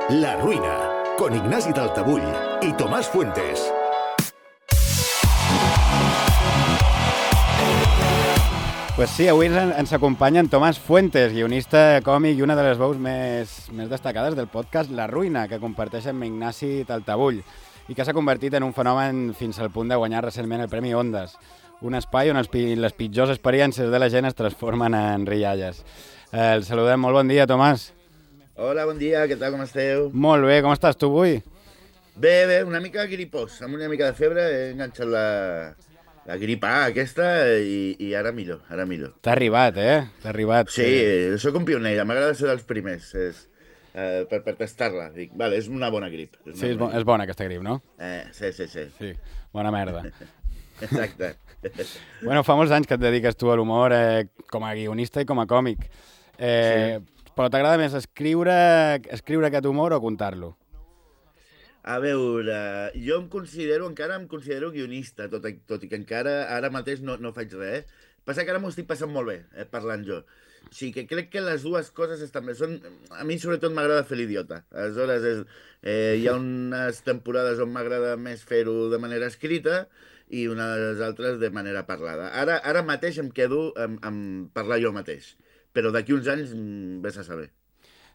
La Ruina, con Ignasi Taltabull i Tomàs Fuentes. Pues sí, avui ens acompanya en Tomàs Fuentes, guionista, còmic i una de les veus més destacades del podcast La Ruina, que comparteix amb Ignasi Taltabull i que s'ha convertit en un fenomen fins al punt de guanyar recentment el Premi Ondas, un espai on les pitjors experiències de la gent es transformen en rialles. El saludem. Molt bon dia, Tomàs. Hola, bon dia, què tal, com esteu? Molt bé, com estàs tu avui? Bé, una mica gripós, amb una mica de febre, he enganxat la gripa aquesta i ara millor, ara millor. T'ha arribat, T'ha arribat. Sí, sóc un pioner, m'agrada ser dels primers, per tastar-la. Dic, vale, és una bona grip. Sí, és bona aquesta grip, no? Sí. Sí, bona merda. Exacte. Bueno, fa molts anys que et dediques tu a l'humor com a guionista i com a còmic. Sí. Però t'agrada més escriure aquest humor o contar-lo? A veure, jo encara em considero guionista, tot i que encara ara mateix no faig res. Passa que ara m'ho estic passant molt bé, parlant jo. O sigui que crec que les dues coses estan bé. A mi sobretot m'agrada fer l'idiota. Aleshores, hi ha unes temporades on m'agrada més fer-ho de manera escrita i unes altres de manera parlada. Ara mateix em quedo amb parlar jo mateix, però d'aquí uns anys vés a saber.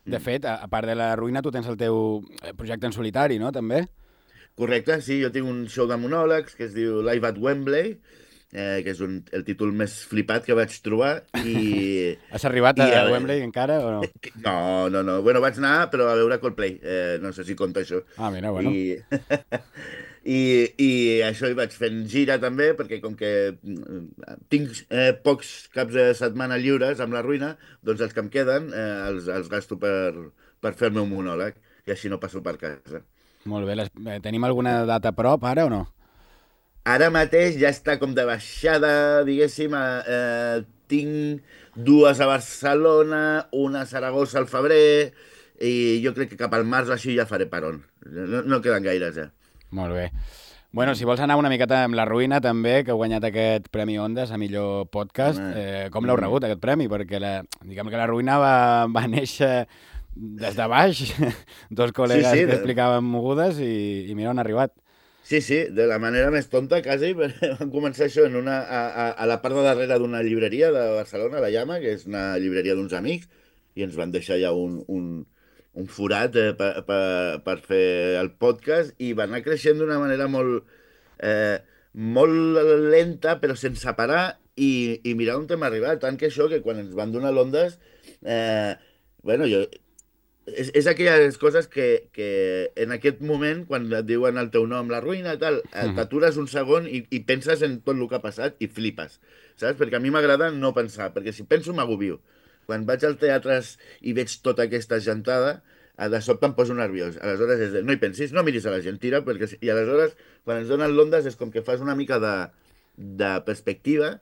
De fet, a part de La Ruïna, tu tens el teu projecte en solitari, no?, també? Correcte, sí, jo tinc un show de monòlegs que es diu Live at Wembley, que és el títol més flipat que vaig trobar. Has arribat a Wembley encara o no? No. Bueno, vaig anar, però a veure Coldplay. No sé si compta això. Ah, mira, bueno. I això hi vaig fent gira també, perquè com que tinc pocs caps de setmana lliures amb La Ruïna, doncs els que em queden els gasto per fer el meu monòleg, i així no passo per casa. Molt bé. Tenim alguna data a prop, ara o no? Ara mateix ja està com de baixada, diguéssim. Tinc dues a Barcelona, una a Saragossa al febrer, i jo crec que cap al març així ja faré peron. No queden gaires, ja. Molt bé. Bueno, si vols anar una miqueta amb La Ruïna, també, que ha guanyat aquest Premi Ondas a millor podcast, com l'heu rebut, aquest premi? Perquè diguem que La Ruïna va néixer des de baix, dos col·legues que explicaven mogudes i mira on ha arribat. Sí, de la manera més tonta, quasi. Vam començar això a la part de darrere d'una llibreria de Barcelona, la Llama, que és una llibreria d'uns amics, i ens van deixar ja un forat per fer el podcast, i va anar creixent d'una manera molt lenta, però sense parar, i mirar on hem arribat. Tant que això, que quan ens van donar l'Ondas, és aquelles coses que en aquest moment, quan et diuen el teu nom, La Ruïna i tal, t'atures un segon i penses en tot el que ha passat i flipes, saps? Perquè a mi m'agrada no pensar, perquè si penso m'agobio. Quan vaig al teatre i veig tota aquesta gentada, de sobte em poso nerviós. Aleshores, no hi pensis, no miris a la gent, tira, i aleshores, quan ens donen l'Ondas, és com que fas una mica de perspectiva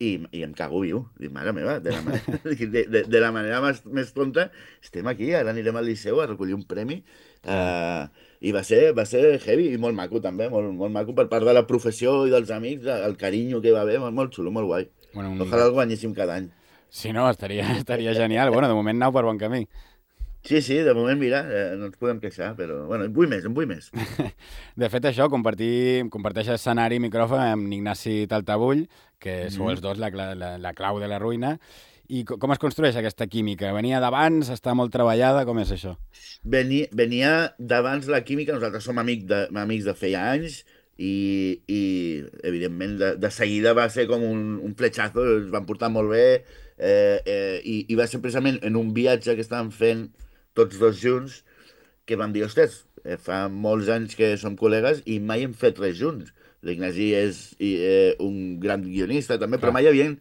i em cago viu. Dic, mare meva, de la manera més tonta, estem aquí, ara anirem al Liceu a recollir un premi, i va ser heavy i molt maco, també, molt maco per part de la professió i dels amics, el carinyo que hi va haver, molt xulo, molt guai. Ojalà el guanyéssim cada any. Sí, no, estaria genial. Bueno, de moment anau per bon camí. Sí, de moment, mira, no ens podem queixar, però, bueno, en vull més. De fet, això, comparteix escenari i micròfon amb Ignasi Taltabull, que sou els dos la clau de La Ruïna. I com es construeix aquesta química? Venia d'abans? Està molt treballada? Com és això? Venia d'abans la química, nosaltres som amics de feia anys, i evidentment de seguida va ser com un fletxazo, ens van portar molt bé, i va ser precisament en un viatge que estàvem fent tots dos junts que vam dir, ostres, fa molts anys que som col·legues i mai hem fet res junts. L'Ignasi és un gran guionista també, però mai havien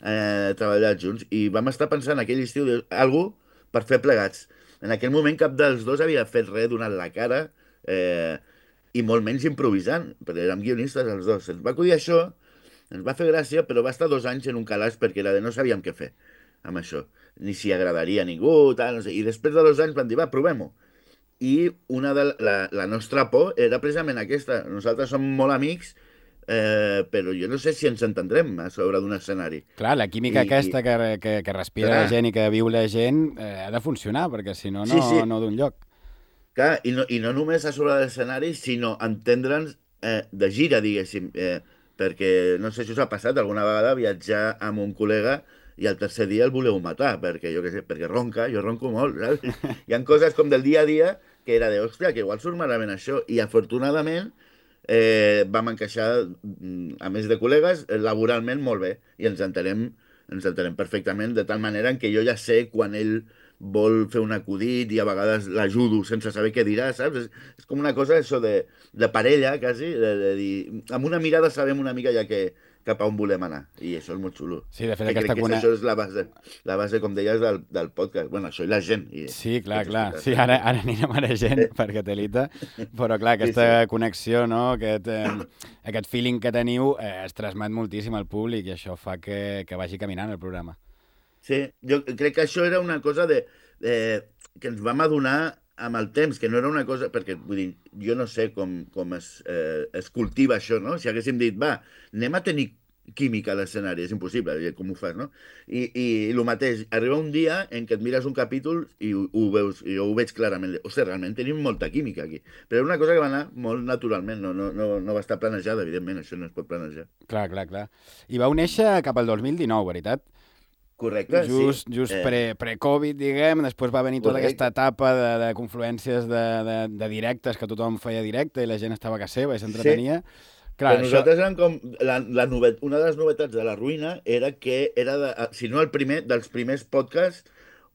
treballat junts, i vam estar pensant aquell estiu algú per fer plegats. En aquell moment cap dels dos havia fet res donant la cara, i molt menys improvisant, perquè érem guionistes els dos. Ens va acudir això, ens va fer gràcia, però va estar 2 anys en un calaix perquè era no sabíem què fer amb això, ni si agradaria a ningú, tal, no sé. I després de 2 anys vam dir, va, provem-ho. I la nostra por era precisament aquesta. Nosaltres som molt amics, però jo no sé si ens entendrem a sobre d'un escenari. Clar, la química aquesta que respira la gent i que viu la gent ha de funcionar, perquè si no, no d'un lloc. Clar, i no només a sobre de l'escenari, sinó entendre'ns de gira, diguéssim. Perquè, no sé si us ha passat alguna vegada viatjar amb un col·lega i el tercer dia el voleu matar, perquè jo què sé, perquè ronca, jo ronco molt, saps? Hi ha coses com del dia a dia que era de, hòstia, que igual surt malament això. I afortunadament vam encaixar, a més de col·legues, laboralment molt bé. I ens entenem perfectament, de tal manera en què jo ja sé quan ell vol fer un acudit i a vegades l'ajudo sense saber què dirà, saps? És com una cosa, això de parella, quasi, de dir... Amb una mirada sabem una mica ja cap a on volem anar. I això és molt xulo. Sí, de fet, Que crec aquesta que això és la base, com deies, del podcast. Bueno, això i la gent. Sí, clar. Sí, ara anirem a la gent, perquè telita, però clar, aquesta connexió, no? Aquest feeling que teniu es transmet moltíssim al públic i això fa que vagi caminant el programa. Sí, jo crec que això era una cosa que ens vam adonar amb el temps, que no era una cosa... Perquè, vull dir, jo no sé com es cultiva això, no? Si haguéssim dit, va, anem a tenir química a l'escenari, és impossible, com ho fas, no? I el mateix, arriba un dia en què et mires un capítol i ho veus, i jo ho veig clarament. Ostres, realment tenim molta química aquí. Però era una cosa que va anar molt naturalment, no va estar planejada, evidentment, això no es pot planejar. Clar. I vau néixer cap al 2019, veritat? Correcte, just sí. pre-Covid, diguem, després va venir tota Correcte. aquesta etapa de confluències de directes, que tothom feia directe i la gent estava a casa seva i s'entretenia. Clar, Però nosaltres érem com... Una de les novetats de La Ruïna era que era, si no el primer, dels primers podcasts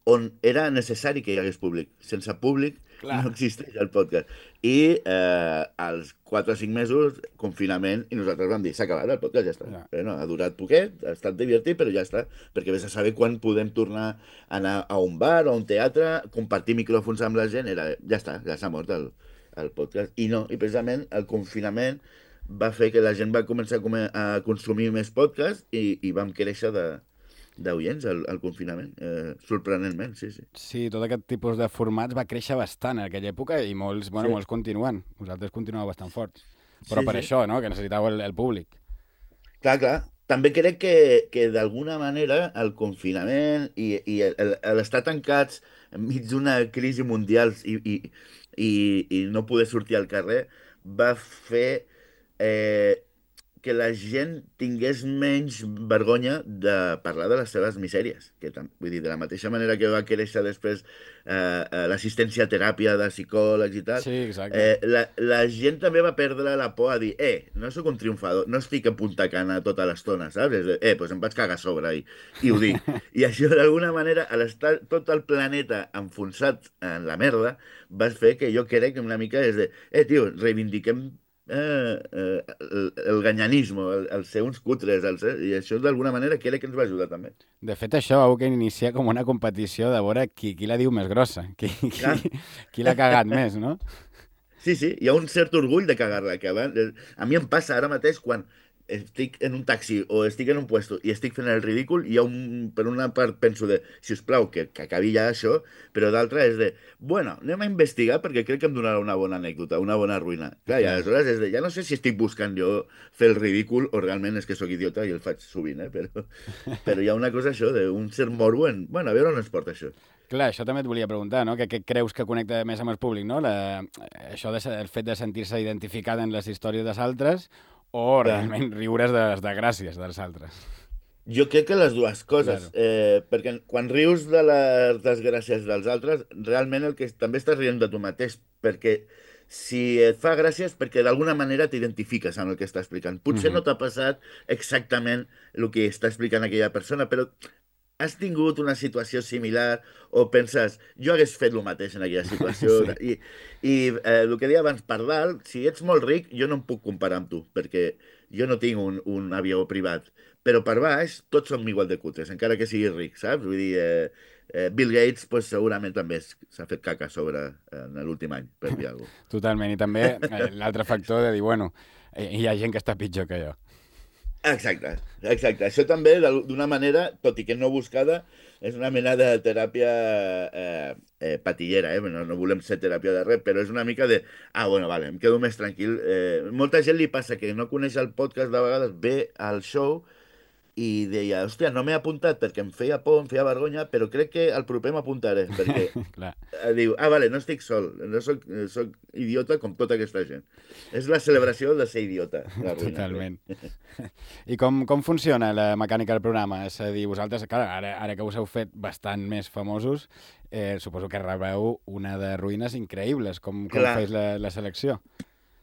on era necessari que hi hagués públic. Sense públic Clar. no existeix el podcast. I als 4 o 5 mesos, confinament, i nosaltres vam dir, s'ha acabat el podcast, ja està. Ja. Però no, ha durat poquet, ha estat divertit, però ja està. Perquè vés a saber quan podem tornar a anar a un bar o a un teatre, compartir micròfons amb la gent, ja està, ja s'ha mort el podcast. I no, i precisament el confinament va fer que la gent va començar a consumir més podcast i vam créixer d'oients al confinament, sorprenentment, sí. Sí, tot aquest tipus de formats va créixer bastant en aquella època i molts continuen. Vosaltres continueu bastant forts. Però per això, no?, que necessitàveu el públic. Clar. També crec que d'alguna manera el confinament i l'estar tancats enmig d'una crisi mundial i no poder sortir al carrer va fer que la gent tingués menys vergonya de parlar de les seves misèries. Vull dir, de la mateixa manera que va créixer després l'assistència a teràpia de psicòlegs i tal, Sí, exacte. la gent també va perdre la por a dir no sóc un triomfador, no estic a punta cana tota l'estona, saps? Doncs em vaig cagar a sobre i ho dic. I això, d'alguna manera, a l'estar tot el planeta enfonsat en la merda, va fer que jo crec que una mica és de tio, reivindiquem el ganyanisme, el ser uns cutres, i això d'alguna manera crec que ens va ajudar també. De fet, això vau que iniciar com una competició de veure qui la diu més grossa, qui l'ha cagat més, no? Sí, hi ha un cert orgull de cagar-la, que a mi em passa ara mateix quan estic en un taxi o estic en un puesto i estic fent el ridícul, per una part penso de, si us plau, que acabi ja això, però d'altra és de, bueno, anem a investigar perquè crec que em donarà una bona anècdota, una bona ruïna. Clar, i aleshores és de, ja no sé si estic buscant jo fer el ridícul o realment és que sóc idiota i el faig sovint, però hi ha una cosa això, d'un cert morbo en, bueno, a veure on ens porta això. Clar, això també et volia preguntar, no? Què creus que connecta més amb el públic, no? El fet de sentir-se identificat en les històries dels altres o realment riure's de les desgràcies dels altres? Jo crec que les dues coses, perquè quan rius de les desgràcies dels altres, realment el que també estàs rient de tu mateix, perquè si et fa gràcia és perquè d'alguna manera t'identifiques amb el que està explicant. Potser no t'ha passat exactament el que està explicant aquella persona, però has tingut una situació similar o penses, jo hagués fet el mateix en aquella situació. Sí. I el que deia abans, per dalt, si ets molt ric, jo no em puc comparar amb tu, perquè jo no tinc un avió privat. Però per baix, tots som igual de cutres, encara que siguis ric, saps? Vull dir, Bill Gates pues, segurament també s'ha fet caca a sobre en l'últim any, per dir alguna cosa. Totalment, i també l'altre factor de dir, bueno, hi ha gent que està pitjor que jo. Exacte. Això també, d'una manera, tot i que no buscada, és una mena de teràpia patillera, no volem ser teràpia de res, però és una mica de, bueno, vale, em quedo més tranquil. Molta gent li passa que no coneix el podcast de vegades, ve al show i deia, hòstia, no m'he apuntat perquè em feia por, em feia vergonya, però crec que el proper m'apuntaré, perquè Clar, diu, vale, no estic sol, no soc idiota com tota aquesta gent. És la celebració de ser idiota, la ruïna. totalment. I com funciona la mecànica del programa? És a dir, vosaltres, clar, ara que us heu fet bastant més famosos, suposo que rebeu una de ruïnes increïbles. Com Clar. feu la selecció?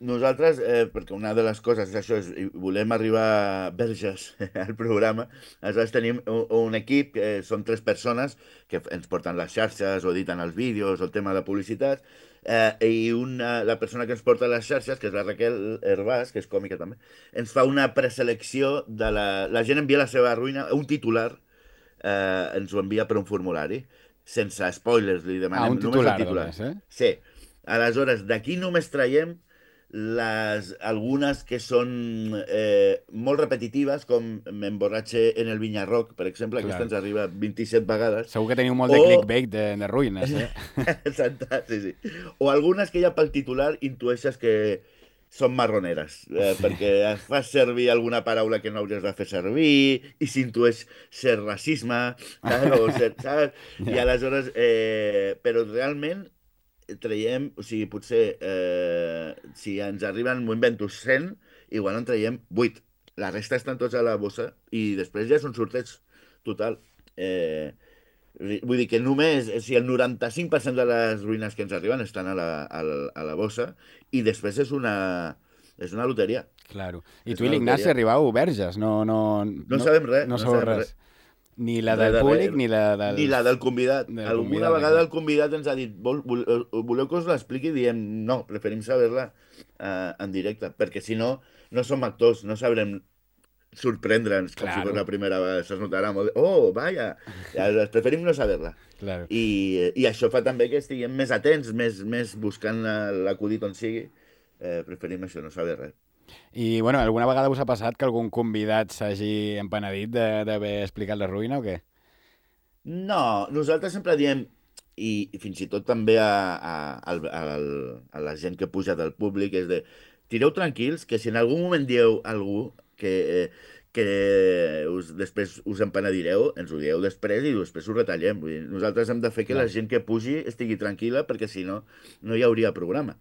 Nosaltres, perquè una de les coses és això, volem arribar verges al programa, aleshores tenim un equip, són 3 persones que ens porten les xarxes o editen els vídeos o el tema de publicitat, i la persona que ens porta les xarxes, que és la Raquel Hervás, que és còmica també, ens fa una preselecció de la gent envia la seva ruïna, un titular, ens ho envia per un formulari, sense spoilers, li demanem Un titular, només el titular. només, Sí. Aleshores, d'aquí només traiem algunes que són molt repetitives, com m'emborratxe en el Vinyarroc, per exemple, aquesta ens arriba 27 vegades. Segur que teniu molt de clickbait de ruïnes, Exacte, sí. O algunes que ja pel titular intueixes que són marroneres, perquè fas servir alguna paraula que no hauries de fer servir i s'intueix ser racisme, saps? I aleshores, però realment traiem, o sigui, potser si ens arriben, m'ho invento, 100, igual en traiem 8. La resta estan tots a la bossa i després ja és un sorteig total. Vull dir que només, si el 95% de les ruïnes que ens arriben estan a la bossa i després és una loteria. Claro. I tu i l'Ignasi arribau verges, no sabem res. No sabeu res. Ni la del públic ni la del... Ni la del convidat. Alguna vegada el convidat ens ha dit voleu que us l'expliqui? I diem no, preferim saber-la en directe, perquè si no, no som actors, no sabrem sorprendre'ns com si fos la primera vegada. Se'ns notarà molt. Oh, vaja! Preferim no saber-la. Claro. I això fa també que estiguem més atents, més buscant l'acudit on sigui. Preferim això, no saber res. I, bueno, alguna vegada us ha passat que algun convidat s'hagi empenedit d'haver explicat la ruïna o què? No, nosaltres sempre diem, i fins i tot també a la gent que puja del públic, és de, tireu tranquils, que si en algun moment dieu algú que després us empenedireu, ens ho dieu després i després ho retallem. Vull dir, nosaltres hem de fer que la gent que pugi estigui tranquil·la, perquè si no, no hi hauria programa.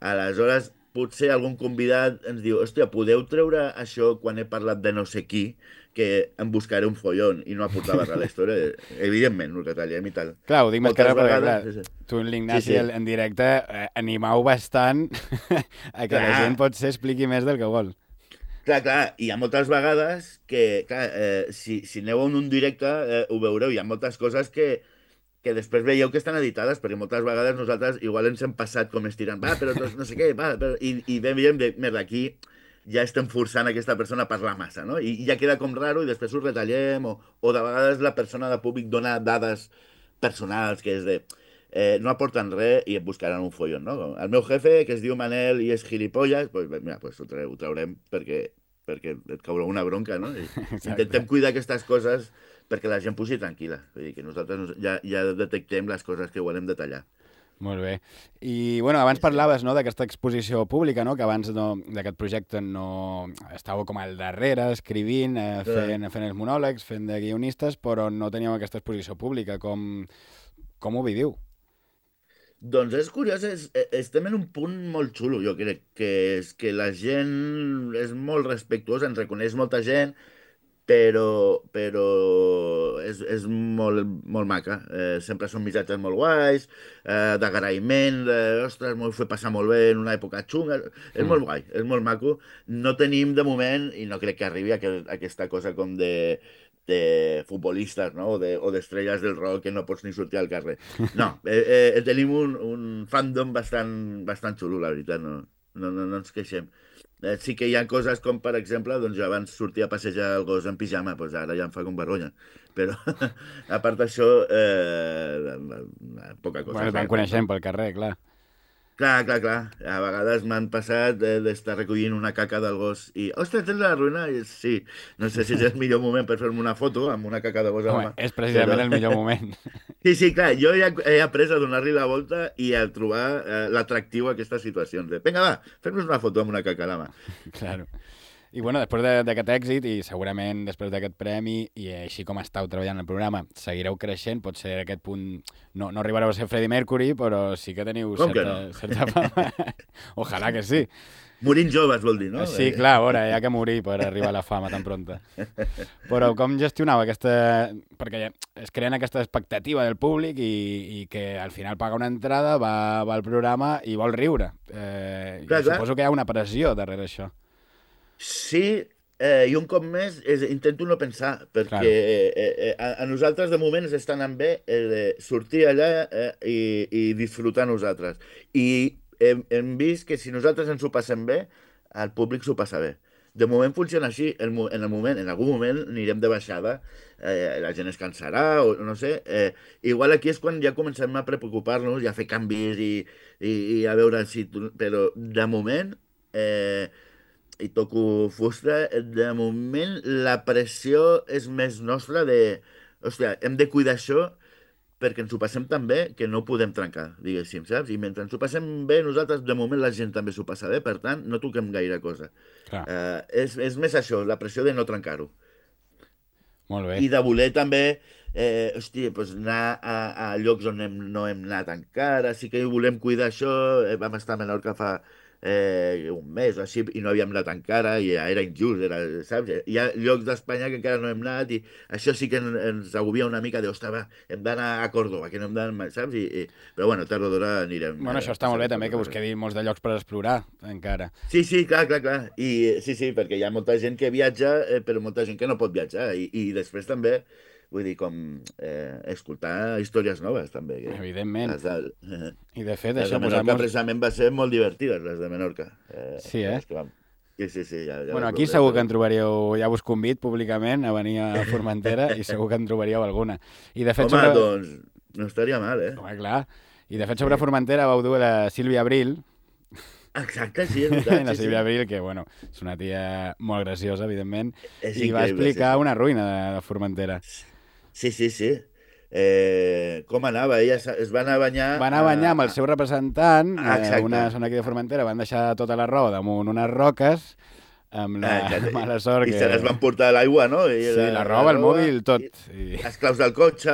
Aleshores, potser algun convidat ens diu, hòstia, podeu treure això quan he parlat de no sé qui, que em buscaré un follon i no aportava res a la història. Evidentment, ho retallem i tal. Clar, ho dic més que res perquè, clar, tu i l'Ignasi en directe animau bastant a que la gent potser expliqui més del que vol. Clar, hi ha moltes vegades que, clar, si aneu en un directe ho veureu, hi ha moltes coses que després veieu que estan editades, perquè moltes vegades nosaltres igual ens hem passat com estirant, però no sé què, i veiem de, merda, aquí ja estem forçant aquesta persona a parlar massa, no? I ja queda com raro i després ho retallem, o de vegades la persona de públic dona dades personals, que és de, no aporten res i et buscaran un follon, no? El meu jefe, que es diu Manel i és gilipolles, pues, mira, pues ho traurem perquè et caurà una bronca, no? Intentem cuidar aquestes coses perquè la gent pugi tranquil·la. Vull dir que nosaltres ja detectem les coses que volem detallar. Molt bé. I, bueno, abans parlaves, no, d'aquesta exposició pública, no?, que abans d'aquest projecte no estàveu com al darrere, escrivint, fent els monòlegs, fent de guionistes, però no teníeu aquesta exposició pública. Com ho viviu? Doncs és curiós, estem en un punt molt xulo, jo crec, que és que la gent és molt respectuosa, ens reconeix molta gent, però és molt maca. Sempre són missatges molt guais, d'agraïment, ostres, m'ho he fet passar molt bé en una època xunga. És molt guai, és molt maco. No tenim de moment, i no crec que arribi aquesta cosa com de futbolistes, no? O d'estrelles del rock que no pots ni sortir al carrer. No, tenim un fandom bastant xulo, la veritat, no ens queixem. Sí que hi ha coses com, per exemple, doncs jo abans sortia a passejar el gos en pijama, doncs ara ja em fa com vergonya. Però, a part d'això, poca cosa. Bueno, vam coneixem pel carrer, clar. Clar. A vegades m'han passat d'estar recollint una caca del gos i, ostres, tens la ruïna? Sí. No sé si és el millor moment per fer-me una foto amb una caca de gos a la mà. És precisament el millor moment. Sí, clar, jo ja he après a donar-li la volta i a trobar l'atractiu a aquestes situacions. Vinga, va, fem-nos una foto amb una caca a la mà. Claro. I bueno, després d'aquest èxit i segurament després d'aquest premi i així com estàu treballant el programa, seguireu creixent, potser a aquest punt no arribareu a ser Freddie Mercury, però sí que teniu certa fama. Ojalà que sí. Morint joves, vol dir, no? Sí, clar, a veure, hi ha que morir per arribar a la fama tan pronta. Però com gestionava aquesta... Perquè es creen aquesta expectativa del públic i que al final paga una entrada, va al programa i vol riure. Clar. Suposo que hi ha una pressió darrere això. Sí, i un cop més intento no pensar, perquè a nosaltres de moment ens està anant bé sortir allà i disfrutar nosaltres. I hem vist que si nosaltres ens ho passem bé, el públic s'ho passa bé. De moment funciona així. En algun moment anirem de baixada, la gent es cansarà, o no sé. Igual aquí és quan ja comencem a preocupar-nos i a fer canvis i a veure si... Però de moment... i toco fusta, de moment la pressió és més nostra de... Hòstia, hem de cuidar això perquè ens ho passem tan bé que no ho podem trencar, diguéssim, saps? I mentre ens ho passem bé, nosaltres, de moment, la gent també s'ho passa bé, per tant, no toquem gaire cosa. És més això, la pressió de no trencar-ho. Molt bé. I de voler també, anar a llocs on no hem anat encara, sí que volem cuidar això, vam estar a Menorca fa un mes o així, i no havíem anat encara, i era injust, saps? Hi ha llocs d'Espanya que encara no hem anat, i això sí que ens agobia una mica de, ostres, hem d'anar a Córdoba, que no hem d'anar, saps? Però bueno, tard o d'hora anirem. Bueno, això està molt bé també, que us quedi molts de llocs per explorar, encara. Sí, clar. I sí, perquè hi ha molta gent que viatja, però molta gent que no pot viatjar, i després també... Vull dir, com escoltar històries noves, també. Evidentment. I de fet, això... Les de Menorca, precisament, va ser molt divertides, les de Menorca. Sí, Sí, ja bueno, aquí segur que en trobaríeu... Ja us convid públicament a venir a Formentera i segur que en trobaríeu alguna. I de fet, home, doncs, no estaria mal, Home, clar. I de fet, sobre Formentera vau dur la Sílvia Abril. Exacte, sí, és veritat. La Sílvia Abril, que, bueno, és una tia molt graciosa, evidentment, i va explicar una ruïna de Formentera. Sí. Com anava? Ella es va anar a banyar... Va anar a banyar amb el seu representant, una zona aquí de Formentera, van deixar tota la roba damunt unes roques, amb la mala sort que... I se les van portar a l'aigua, no? Sí, la roba, el mòbil, tot. Les claus del cotxe,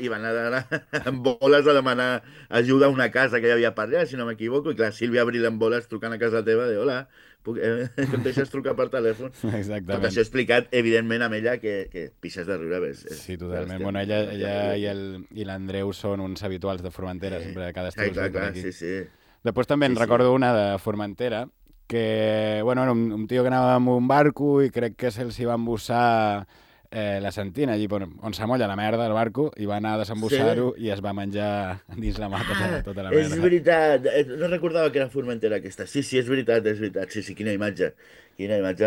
i van anar amb boles a demanar ajuda a una casa que hi havia per allà, si no m'equivoco, i clar, Sílvia Abril amb boles trucant a casa teva, de hola, que em deixes trucar per telèfon. Exactament. Tot això explicat, evidentment, amb ella, que pixes de riure. Sí, totalment. Bueno, ella i l'Andreu són uns habituals de Formentera, sempre cada estiu. Clar, sí. Després també en recordo una de Formentera, que, bueno, era un tio que anava amb un barco i crec que se'ls hi va embussar la sentina, allí on s'amolla la merda del barco, i va anar a desembussar-ho i es va menjar dins la mà tota la merda. És veritat, no recordava que era Formentera aquesta. Sí, és veritat. Sí, quina imatge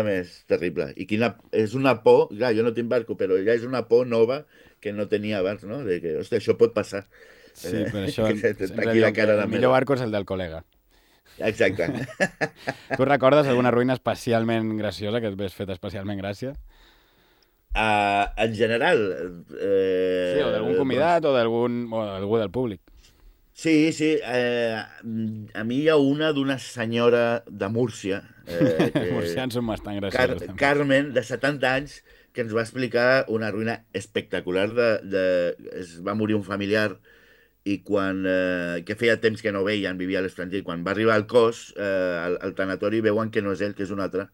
més terrible. I és una por, clar, jo no tinc barco, però ja és una por nova que no tenia abans, no? De que, hòstia, això pot passar. Sí, per això el millor barco és el del col·lega. Exacte. Tu recordes alguna ruïna especialment graciosa, que et ves fet especialment gràcia? En general... Sí, o d'algun convidat o d'algú del públic. Sí. A mi hi ha d'una senyora de Múrcia. Els murcians són bastant graciosos. Carmen, de 70 anys, que ens va explicar una ruïna espectacular. Es va morir un familiar i que feia temps que no veien, vivia a l'estranger, i quan va arribar al cos, al tanatori, veuen que no és ell, que és un altre.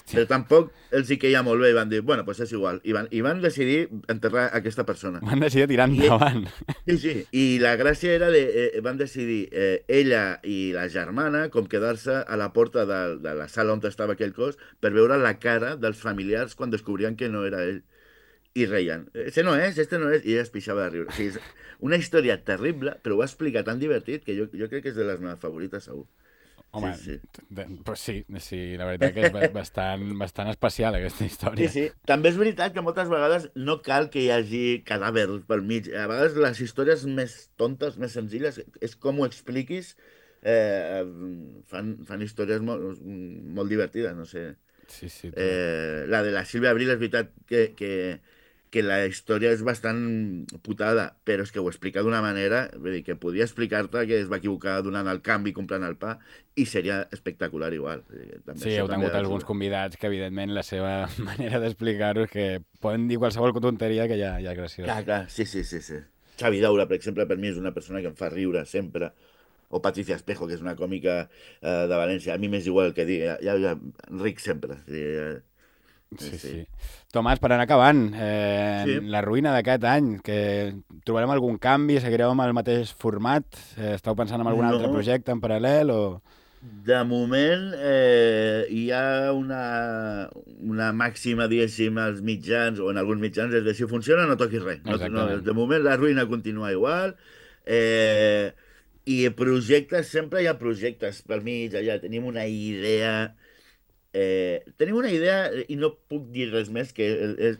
Però tampoc els hi queia molt bé i van dir, bueno, doncs és igual. I van decidir enterrar aquesta persona. Van decidir tirar endavant. Sí. I la gràcia era van decidir ella i la germana com quedar-se a la porta de la sala on estava aquell cos per veure la cara dels familiars quan descobrien que no era ell. I reien. Este no és. I ella es pixava de riure. O sigui, és una història terrible, però ho va explicar tan divertit que jo crec que és de les meves favorites, segur. Home, sí, la veritat que és bastant especial aquesta història. Sí. També és veritat que moltes vegades no cal que hi hagi cadàvers pel mig. A vegades les històries més tontes, més senzilles, és com ho expliquis, fan històries molt divertides, no sé. Sí. La de la Sílvia Abril és veritat que que la història és bastant putada, però és que ho explica d'una manera, vull dir, que podria explicar-te que es va equivocar donant el canvi, comprant el pa, i seria espectacular igual. També, Sí, heu tingut alguns convidats que, evidentment, la seva manera d'explicar-ho és que poden dir qualsevol tonteria que ja és graciós. Clar, sí. Xavi Daura, per exemple, per mi és una persona que em fa riure sempre, o Patricia Espejo, que és una còmica de València. A mi m'és igual el que digui, ja ric sempre. Sí. Tomàs, per anar acabant, Sí. la ruïna d'aquest any, que trobarem algun canvi, seguireu amb el mateix format? Esteu pensant en algun altre projecte en paral·lel? O... De moment hi ha una màxima, diguéssim, als mitjans, o en alguns mitjans, és de si funciona no toquis res. De moment la ruïna continua igual, i projectes, sempre hi ha projectes pel mig, allà tenim una idea... tenim una idea i no puc dir res més, que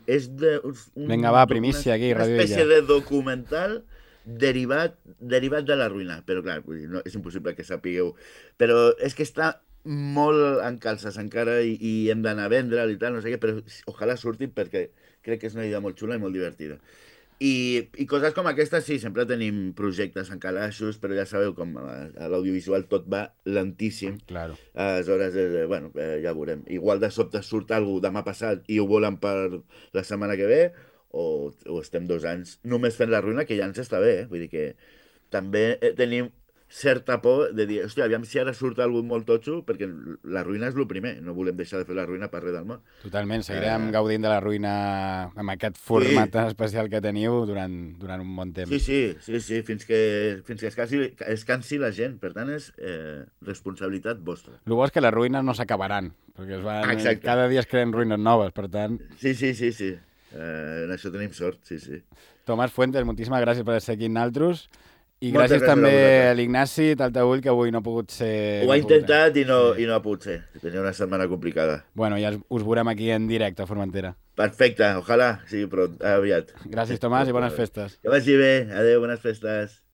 és Vinga, va, primícia aquí, una espècie de documental derivat de la ruïna, però clar, no, és impossible que sapigueu, però és que està molt en calces encara i hem d'anar a vendre'l i tal, no sé què, però ojalà surti perquè crec que és una idea molt xula i molt divertida. I coses com aquestes, sí, sempre tenim projectes en calaixos, però ja sabeu com a l'audiovisual tot va lentíssim. Claro. Aleshores, ja veurem. Igual de sobte surt alguna cosa demà passat i ho volen per la setmana que ve, o estem 2 anys només fent la ruïna, que ja ens està bé, Vull dir que també tenim certa por de dir, hòstia, aviam si ara surt alguna molt totxo, perquè la ruïna és el primer, no volem deixar de fer la ruïna per res del món. Totalment, seguirem gaudint de la ruïna amb aquest format tan especial que teniu durant un bon temps. Sí, fins que es cansi la gent, per tant és responsabilitat vostra. El bo és que les ruïnes no s'acabaran, perquè cada dia es creen ruïnes noves, per tant... Sí. En això tenim sort, sí. Tomàs Fuentes, moltíssimes gràcies per estar aquí amb nosaltres. I gràcies també a l'Ignasi Taltabull, que avui no ha pogut ser... Ho ha intentat i no ha pogut ser. Tenia una setmana complicada. Bueno, ja us veurem aquí en directe a Formentera. Perfecte, ojalà sigui aviat. Gràcies, Tomàs, i bones festes. Que vagi bé. Adéu, bones festes.